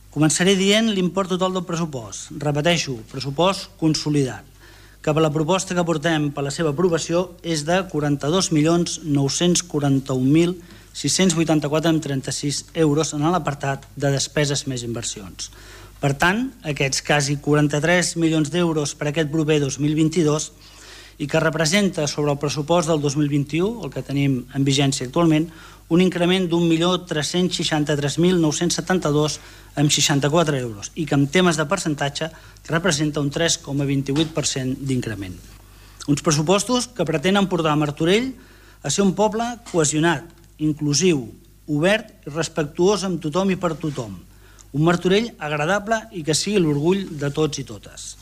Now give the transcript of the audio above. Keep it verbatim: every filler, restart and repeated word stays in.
Començaré dient l'import total del pressupost. Repeteixo, pressupost consolidat, que per la proposta que portem per la seva aprovació és de quaranta-dos milions nou-cents quaranta-un mil sis-cents vuitanta-quatre coma trenta-sis euros en l'apartat de despeses més inversions. Per tant, aquests quasi quaranta-tres milions d'euros per aquest proper dos mil vint-i-dos i que representa sobre el pressupost del dos mil vint-i-u, el que tenim en vigència actualment, un increment d'un milió tres-cents seixanta-tres mil nou-cents setanta-dos amb seixanta-quatre euros i que en temes de percentatge representa un tres coma vint-i-vuit per cent d'increment. Uns pressupostos que pretenen portar Martorell a ser un poble cohesionat, inclusiu, obert i respectuós amb tothom i per tothom. Un Martorell agradable i que sigui l'orgull de tots i totes.